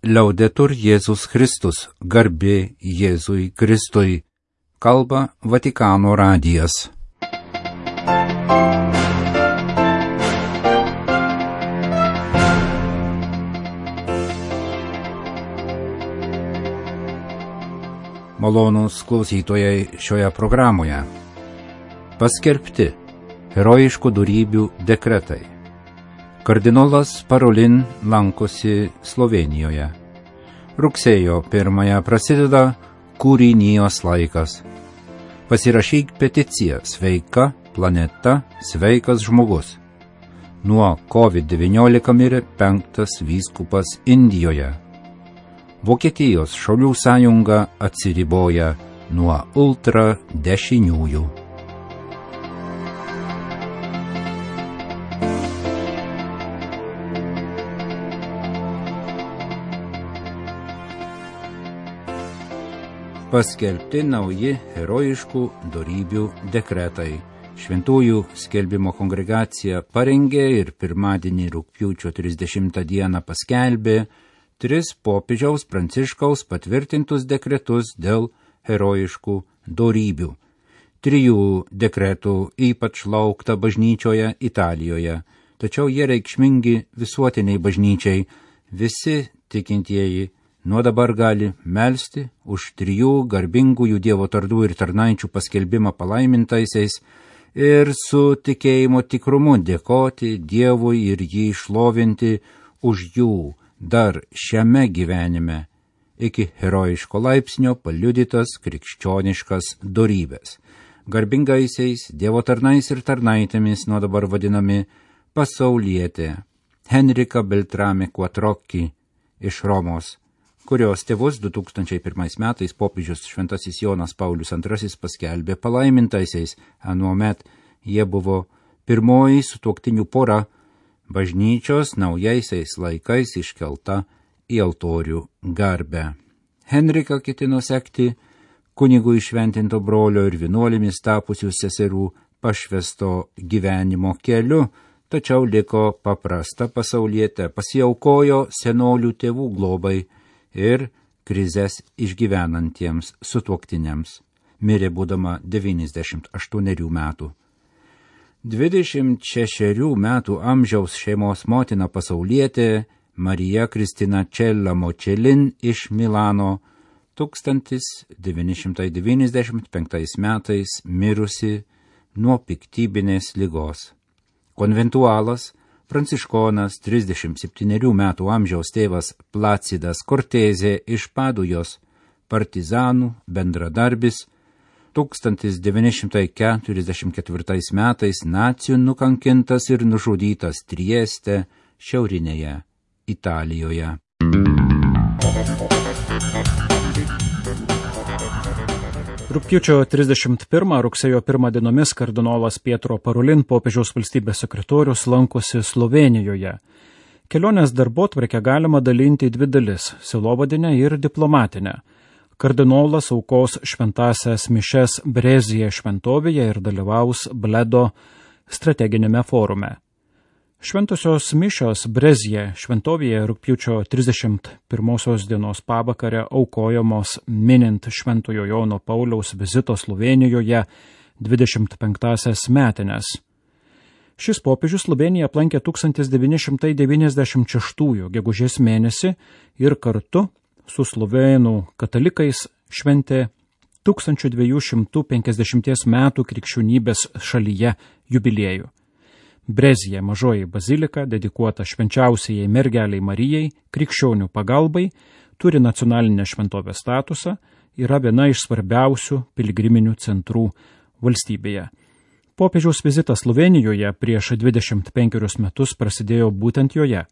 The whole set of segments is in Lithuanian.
Liaudetur Jėzus Kristus, garbė Jėzui Kristui, kalba Vatikano radijas. Malonūs klausytojai šioje programoje. Paskelbti herojiškų dorybių dekretai. Kardinolas Parolin lankosi Slovėnijoje. Rugsėjo 1 prasideda kūrinijos laikas. Pasirašyk peticiją Sveika planeta, sveikas žmogus. Nuo COVID-19 mirė 5. vyskupas Indijoje. Vokietijos šaulių sąjunga atsiriboja nuo ultradešiniųjų. Paskelbti nauji herojiškų dorybių dekretai. Šventųjų skelbimo kongregacija parengė ir pirmadienį rugpjūčio 30 dieną paskelbė 3 popiežiaus Pranciškaus patvirtintus dekretus dėl herojiškų dorybių. 3 dekretų ypač laukta bažnyčioje Italijoje, tačiau jie reikšmingi visuotiniai bažnyčiai. Visi tikintieji nuo dabar gali melsti už 3 garbingųjų Dievo tardų ir tarnaičių paskelbimą palaimintaisiais ir su tikėjimo tikrumu dėkoti Dievui ir jį šlovinti už jų dar šiame gyvenime iki herojiško laipsnio paliudytas krikščioniškas dorybės. Garbingaisiais Dievo tarnais ir tarnaitėmis nuo dabar vadinami pasaulietė Henrika Beltrame Quattrocchi iš Romos, kurios tėvus 2001 metais popiežius Šventasis Jonas Paulius II paskelbė palaimintaisiais. Anuomet jie buvo pirmoji sutuoktinių pora, bažnyčios naujaisiais laikais iškelta į altorių garbę. Henrika ketino sekti kunigų įšventinto brolio ir vienuolėmis tapusių seserų pašvesto gyvenimo keliu, tačiau liko paprasta pasaulietė, pasiaukojo senolių tėvų globai ir krizes išgyvenantiems sutuoktiniams. Mirė būdama 98 metų. 26 metų amžiaus šeimos motina pasaulietė Marija Kristina Cella Močelin iš Milano 1995 metais mirusi nuo piktybinės ligos. Konventualas pranciškonas 37 metų amžiaus tėvas Placidas Cortezė iš Padujos, partizanų bendradarbis, 1944 metais nacių nukankintas ir nužudytas Trieste, šiaurinėje Italijoje. Rugpjūčio 31 rugsėjo 1 dienomis kardinolas Pietro Parolin, popiežiaus valstybės sekretorius, lankosi Slovėnijoje. Kelionės darbotvarkę galima dalinti į 2 dalis – sielovadinę ir diplomatinę. Kardinolas aukos šventąsias mišes Brezije šventovėje ir dalyvaus Bledo strateginėme forume. Šventosios mišios Brezije šventovėje rugpjūčio 31 dienos pavakarę aukojamos minint Šventojo Jono Pauliaus vizito Slovėnijoje 25 metines. Šis popiežius Slovėniją aplankė 1996 gegužės mėnesį ir kartu su slovėnų katalikais šventė 1250 metų krikščionybės šalyje jubiliejų. Brezije mažoji bazilika, dedikuota švenčiausiai mergeliai Marijai, krikščionių pagalbai, turi nacionalinę šventovės statusą, yra viena iš svarbiausių piligriminių centrų valstybėje. Popiežiaus vizitas Slovėnijoje prieš 25 metus prasidėjo būtent joje.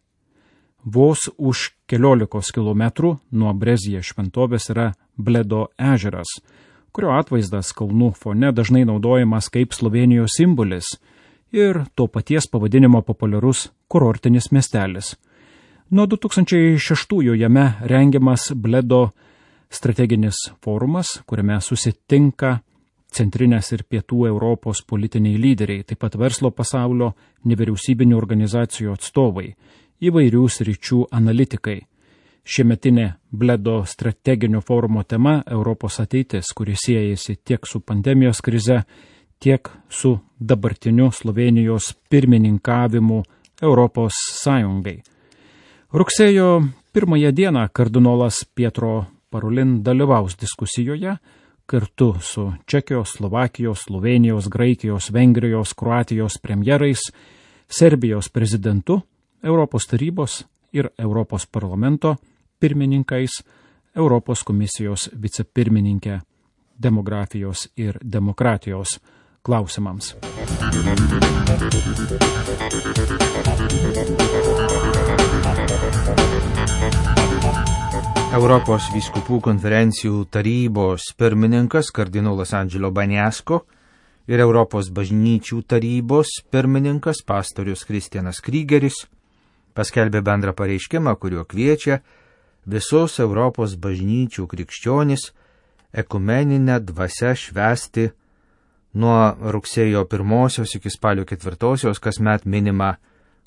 Vos už 14 kilometrų nuo Brezije šventovės yra Bledo ežeras, kurio atvaizdas kalnų fone dažnai naudojamas kaip Slovėnijos simbolis ir to paties pavadinimo populiarus kurortinis miestelis. Nuo 2006 jame rengiamas Bledo strateginis forumas, kuriame susitinka centrinės ir pietų Europos politiniai lyderiai, taip pat verslo pasaulio, nevyriausybinių organizacijų atstovai, įvairių sričių analitikai. Šiemetinė Bledo strateginio forumo tema Europos ateitis, kuri siejasi tiek su pandemijos krize, tiek su dabartiniu Slovėnijos pirmininkavimu Europos Sąjungai. Rugsėjo 1 dieną kardinolas Pietro Parolin dalyvaus diskusijoje kartu su Čekijos, Slovakijos, Slovėnijos, Graikijos, Vengrijos, Kroatijos premjerais, Serbijos prezidentu, Europos tarybos ir Europos parlamento pirmininkais, Europos komisijos vicepirmininkė demografijos ir demokratijos klausimams. Europos vyskupų konferencijų tarybos pirmininkas kardinolas Angelo Baniasko ir Europos bažnyčių tarybos pirmininkas pastorius Kristianas Krygeris paskelbė bendrą pareiškimą, kuriuo kviečia visus Europos bažnyčių krikščionis ekumeninę dvasią švęsti nuo rugsėjo 1 iki spalio 4 kasmet minimą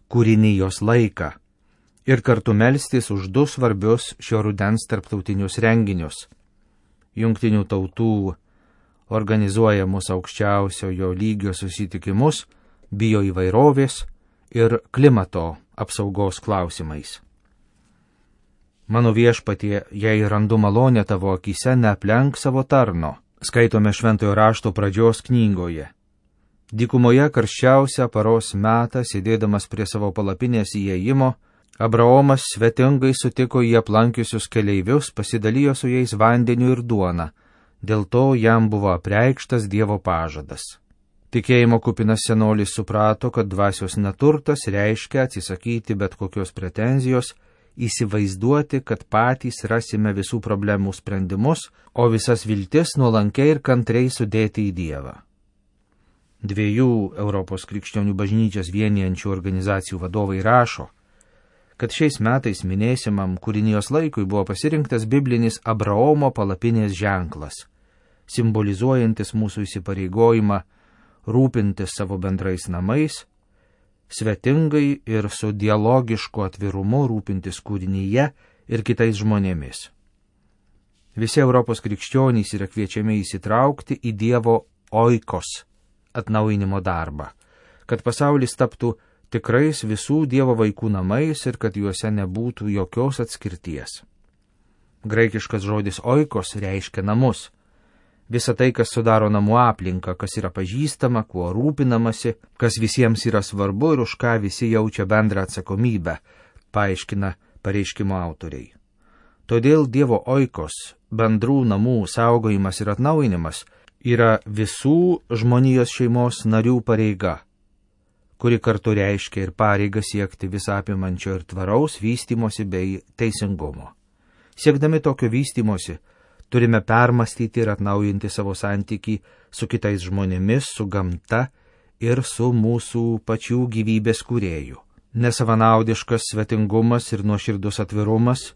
kūrinijos laiką ir kartu melstis už 2 svarbius šio rudens tarptautinius renginius – Jungtinių tautų organizuojamus aukščiausiojo lygio susitikimus bioįvairovės ir klimato apsaugos klausimais. Mano viešpatie, jei randu malonę tavo akyse, neaplenk savo tarno, skaitome šventojo rašto pradžios knygoje. Dykumoje karščiausią paros metą, sėdėdamas prie savo palapinės įėjimo, Abraomas svetingai sutiko jį aplankiusius keleivius, pasidalijo su jais vandeniu ir duona, dėl to jam buvo apreikštas Dievo pažadas. Tikėjimo kupinas senolis suprato, kad dvasios neturtas reiškia atsisakyti bet kokios pretenzijos, įsivaizduoti, kad patys rasime visų problemų sprendimus, o visas viltis nuolankiai ir kantriai sudėti į Dievą. 2 Europos krikščionių bažnyčias vienijančių organizacijų vadovai rašo, kad šiais metais minėsimam kūrinijos laikui buvo pasirinktas biblinis Abraomo palapinės ženklas, simbolizuojantis mūsų įsipareigojimą rūpintis savo bendrais namais, svetingai ir su dialogišku atvirumu rūpintis kūrinyje ir kitais žmonėmis. Visi Europos krikščionys yra kviečiami įsitraukti į Dievo oikos atnaujinimo darbą, kad pasaulis taptų tikrais visų Dievo vaikų namais ir kad juose nebūtų jokios atskirties. Graikiškas žodis oikos reiškia namus. Visa tai, kas sudaro namų aplinką, kas yra pažįstama, kuo rūpinamasi, kas visiems yra svarbu ir už ką visi jaučia bendrą atsakomybę, paaiškina pareiškimo autoriai. Todėl Dievo oikos, bendrų namų saugojimas ir atnaujinimas yra visų žmonijos šeimos narių pareiga, kuri kartu reiškia ir pareigą siekti visapimančio ir tvaraus vystymosi bei teisingumo. Siekdami tokio vystymosi, turime permastyti ir atnaujinti savo santykį su kitais žmonėmis, su gamta ir su mūsų pačių gyvybės kūrėju. Nesavanaudiškas svetingumas ir nuoširdus atvirumas,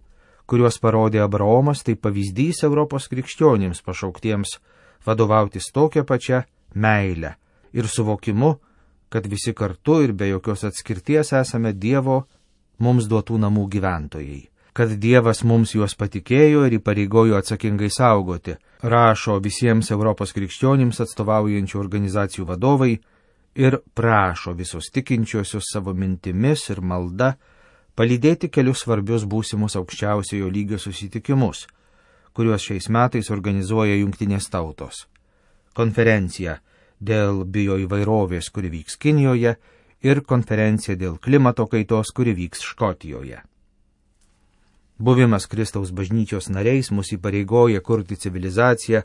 kuriuos parodė Abraomas, tai pavyzdys Europos krikščionims pašauktiems vadovautis tokia pačia meile ir suvokimu, kad visi kartu ir be jokios atskirties esame Dievo mums duotų namų gyventojai, kad Dievas mums juos patikėjo ir įpareigojo atsakingai saugoti, rašo visiems Europos krikščionims atstovaujančių organizacijų vadovai ir prašo visus tikinčiuosius savo mintimis ir malda palydėti kelius svarbius būsimus aukščiausiojo lygio susitikimus, kuriuos šiais metais organizuoja Jungtinės tautos. Konferencija dėl bioįvairovės, kuri vyks Kinijoje, ir konferencija dėl klimato kaitos, kuri vyks Škotijoje. Buvimas Kristaus bažnyčios nariais mus įpareigoja kurti civilizaciją,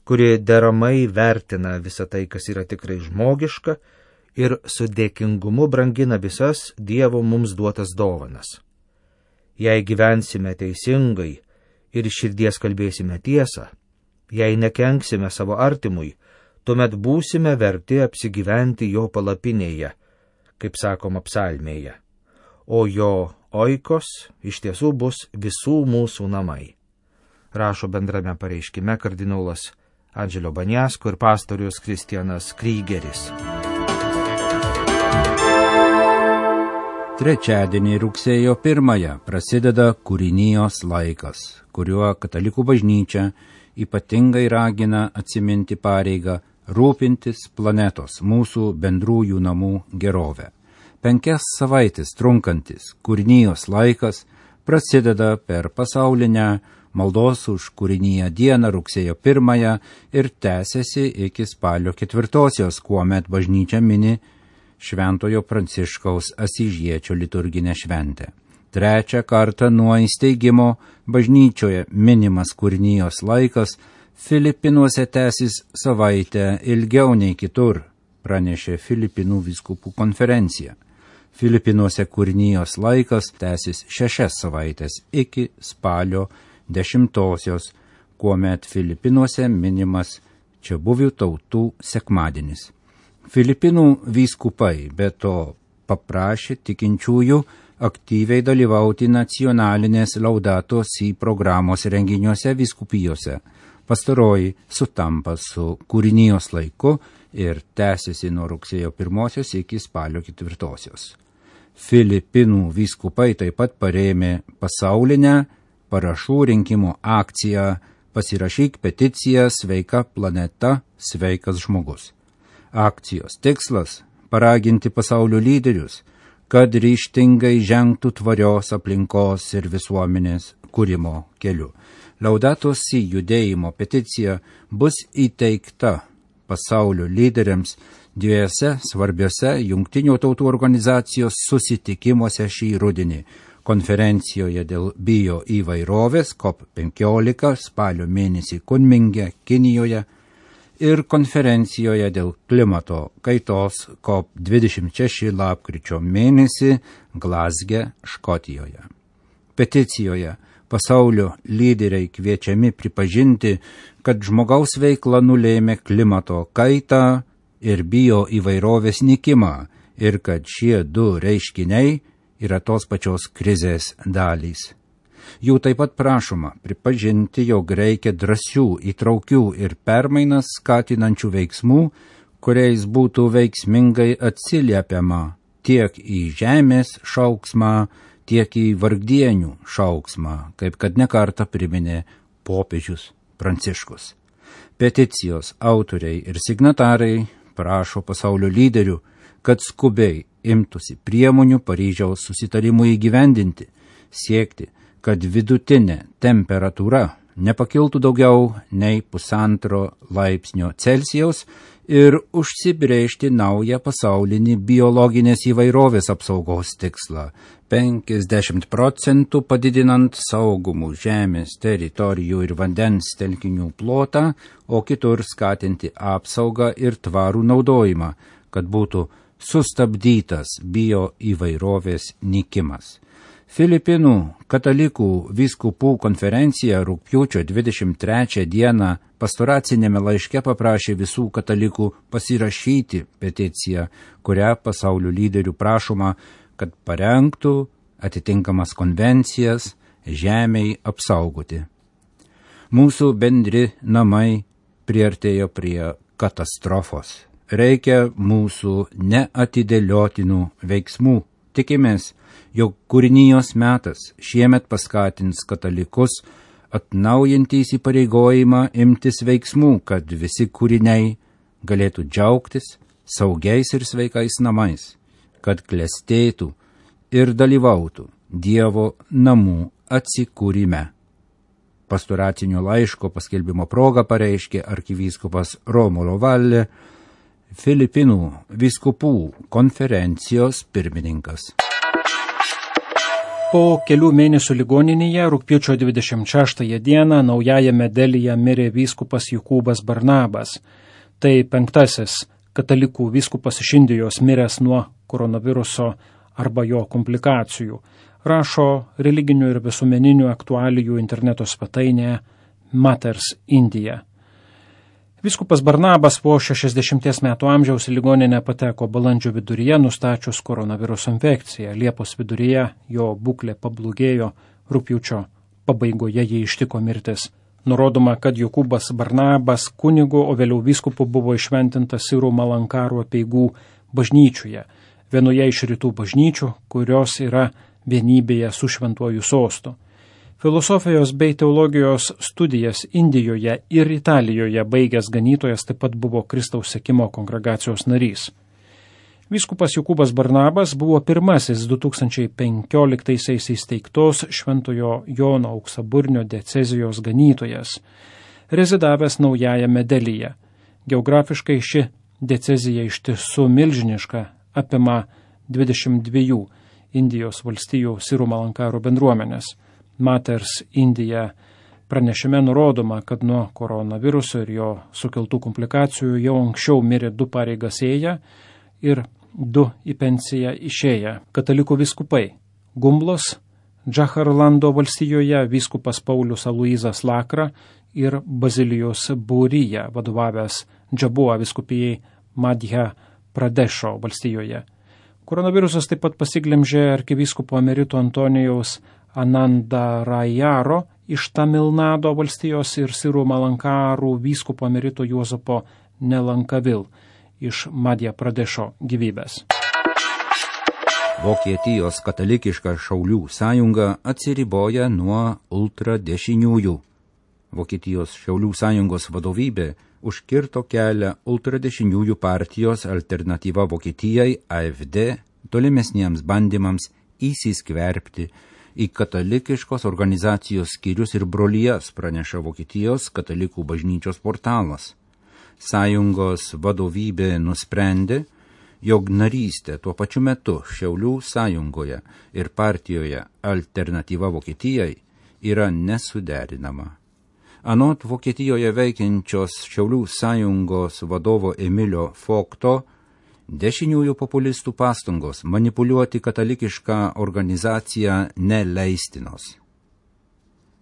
kuri deramai vertina visą tai, kas yra tikrai žmogiška ir su dėkingumu brangina visas Dievo mums duotas dovanas. Jei gyvensime teisingai ir iš širdies kalbėsime tiesą, jei nekenksime savo artimui, tuomet būsime verti apsigyventi jo palapinėje, kaip sakoma psalmėje, o jo oikos iš tiesų bus visų mūsų namai, rašo bendrame pareiškime kardinolas Angelo Baniasko ir pastorius Kristianas Krygeris. Trečiadienį rugsėjo 1 prasideda kūrinijos laikas, kuriuo katalikų bažnyčia ypatingai ragina atsiminti pareigą rūpintis planetos, mūsų bendrųjų namų gerovę. 5 savaitės trunkantis kūrinijos laikas prasideda per pasaulinę maldos už kūriniją dieną rugsėjo 1 ir tęsiasi iki spalio 4, kuomet bažnyčia mini Šventojo Pranciškaus Asyžiečio liturginę šventę. 3 kartą nuo įsteigimo bažnyčioje minimas kūrinijos laikas Filipinuose tęsis savaitę ilgiau nei kitur, pranešė Filipinų vyskupų konferencija. Filipinuose kūrinijos laikas tęsis 6 savaitės iki spalio 10, kuomet Filipinuose minimas čiabuvių tautų sekmadienis. Filipinų vyskupai be to paprašė tikinčiųjų aktyviai dalyvauti nacionalinės Laudato Si programos renginiuose vyskupijose. Pastaroji sutampa su kūrinijos laiku ir tęsiasi nuo rugsėjo 1 iki spalio 4. Filipinų vyskupai taip pat parėmė pasaulinę parašų rinkimo akciją Pasirašyk peticiją Sveika planeta, sveikas žmogus. Akcijos tikslas – paraginti pasaulio lyderius, kad ryžtingai žengtų tvarios aplinkos ir visuomenės kūrimo keliu. Laudato Si judėjimo peticija bus įteikta pasaulio lyderiams 2 svarbiose Jungtinių tautų organizacijos susitikimuose šį rudenį – konferencijoje dėl bioįvairovės COP15 spalio mėnesį Kunminge, Kinijoje, ir konferencijoje dėl klimato kaitos COP26 lapkričio mėnesį Glazge, Škotijoje. Peticijoje pasaulio lyderiai kviečiami pripažinti, kad žmogaus veikla nulėmė klimato kaitą ir bioįvairovės nykimą ir kad šie 2 reiškiniai yra tos pačios krizės dalys. Jų taip pat prašoma pripažinti, jog reikia drąsių, įtraukių ir permainas skatinančių veiksmų, kuriais būtų veiksmingai atsiliepiama tiek į žemės šauksmą, tiek į vargdienių šauksmą, kaip kad nekartą priminė popiežius Pranciškus. Peticijos autoriai ir signatarai prašo pasaulio lyderių, kad skubiai imtųsi priemonių Paryžiaus susitarimui įgyvendinti, siekti, kad vidutinė temperatūra nepakiltų daugiau nei 1,5 laipsnio Celsijaus ir užsibrėžti naują pasaulinį biologinės įvairovės apsaugos tikslą 50% padidinant saugomų žemės teritorijų ir vandens telkinių plotą, o kitur skatinti apsaugą ir tvarų naudojimą, kad būtų sustabdytas bioįvairovės nykimas. Filipinų katalikų vyskupų konferencija rugpjūčio 23 dieną pastoracinėme laiške paprašė visų katalikų pasirašyti peticiją, kurią pasaulio lyderių prašoma, kad parengtų atitinkamas konvencijas žemei apsaugoti. Mūsų bendri namai priartėjo prie katastrofos. Reikia mūsų neatidėliotinų veiksmų. Tikimės, jog kūrinijos metas šiemet paskatins katalikus atnaujinti įsipareigojimą imtis veiksmų, kad visi kūriniai galėtų džiaugtis saugiais ir sveikais namais, kad klestėtų ir dalyvautų Dievo namų atsikūrime. Pastoracinio laiško paskelbimo proga pareiškė arkivyskupas Romulo Valle, Filipinų vyskupų konferencijos pirmininkas. Po kelių mėnesių ligoninėje rugpjūčio 26 dieną naujajame Delyje mirė vyskupas Jokūbas Barnabas. Tai 5. katalikų vyskupas iš Indijos miręs nuo koronaviruso arba jo komplikacijų, rašo religinių ir visuomeninių aktualijų interneto svetainė Matters Indija. Vyskupas Barnabas po 60 metų amžiaus į ligoninę pateko balandžio viduryje nustačius koronaviruso infekciją. Liepos viduryje jo būklė pablogėjo, rugpjūčio pabaigoje jį ištiko mirtis. Nurodoma, kad Jokūbas Barnabas kunigu, o vėliau vyskupu buvo įšventintas Sirų Malankaro apeigų bažnyčioje. vienoje iš rytų bažnyčių, kurios yra vienybėje su šventuoju sostu. Filosofijos bei teologijos studijas Indijoje ir Italijoje baigęs ganytojas taip pat buvo Kristaus sekimo kongregacijos narys. Vyskupas Jokūbas Barnabas buvo pirmasis 2015 įsteigtos Šventojo Jono Auksaburnio diecezijos ganytojas, rezidavęs Naujajame Delyje. Geografiškai ši diecezija iš tiesų milžiniška, apima 22 Indijos valstijų Sirų Malankarų bendruomenės. Maters Indija pranešime nurodoma, kad nuo koronaviruso ir jo sukeltų komplikacijų jau anksčiau mirė 2 pareigas ėję ir 2 į pensiją išėję katalikų vyskupai. Gumblos, Džaharlando valstijoje vyskupas Paulius Aloyzas Lakra ir Bazilijos Būryje vadovavęs Džabua vyskupijai Madhya Pradešo valstijoje. Koronavirusas taip pat pasiglemžė arkivyskupo emerito Antonijaus Anandarajaro iš Tamilnado valstijos ir Sirų Malankarų vyskupo emerito Juozapo Nelankavil iš Madhya Pradešo gyvybės. Vokietijos katalikiška Šaulių sąjunga atsiriboja nuo ultradešiniųjų. Vokietijos Šaulių sąjungos vadovybė užkirto kelią ultradešiniųjų partijos Alternatyva Vokietijai AfD tolimesniems bandymams įsiskverbti į katalikiškos organizacijos skyrius ir brolijas, praneša Vokietijos katalikų bažnyčios portalas. Sąjungos vadovybė nusprendė, jog narystė tuo pačiu metu Šiaulių sąjungoje ir partijoje Alternatyva Vokietijai yra nesuderinama. Anot Vokietijoje veikiančios Šiaulių sąjungos vadovo Emilio Fokto, dešiniųjų populistų pastangos manipuliuoti katalikišką organizaciją neleistinos.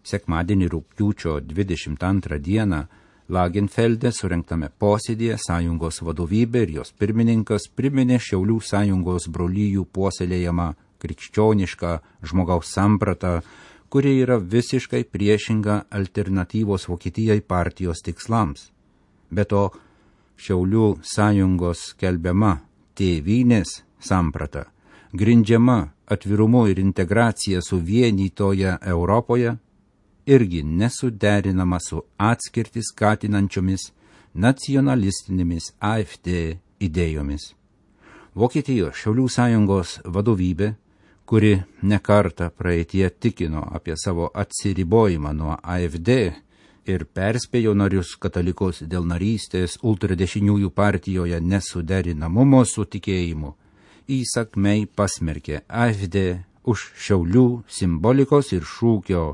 Sekmadienį rugpjūčio 22 dieną Lagenfelde surengtame posėdėje sąjungos vadovybė ir jos pirmininkas priminė Šiaulių sąjungos brolijų puoselėjamą krikščionišką žmogaus sampratą, kuri yra visiškai priešinga Alternatyvos Vokietijai partijos tikslams. Be to, Šiaulių sąjungos skelbiama tėvynės samprata, grindžiama atvirumu ir integracija suvienytoje Europoje, irgi nesuderinama su atskirtį skatinančiomis nacionalistinėmis AfD idėjomis. Vokietijos Šiaulių sąjungos vadovybė, kuri nekartą praeitie tikino apie savo atsiribojimą nuo AfD ir perspėjo narius katalikus dėl narystės ultradešiniųjų partijoje nesuderinamumo su tikėjimu, įsakmiai pasmerkė AfD už Šiaulių simbolikos ir šūkio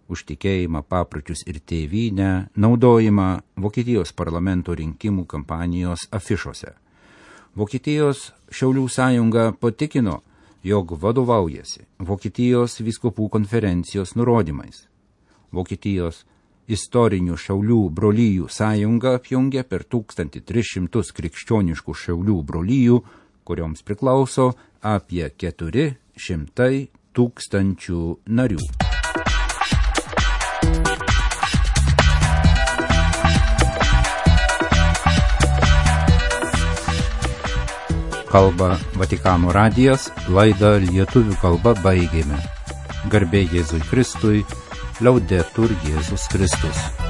už tikėjimą, papročius ir tėvynę naudojimą Vokietijos parlamento rinkimų kampanijos afišose. Vokietijos Šiaulių sąjunga patikino, jog vadovaujasi Vokietijos vyskupų konferencijos nurodymais. Vokietijos istorinių Šiaulių brolijų sąjunga apjungia per 1300 krikščioniškų Šiaulių brolijų, kurioms priklauso apie 400 tūkstančių narių. Kalba Vatikano radijas, laidą lietuvių kalba baigėme. Garbė Jėzui Kristui, Laudetur Jėzus Kristus.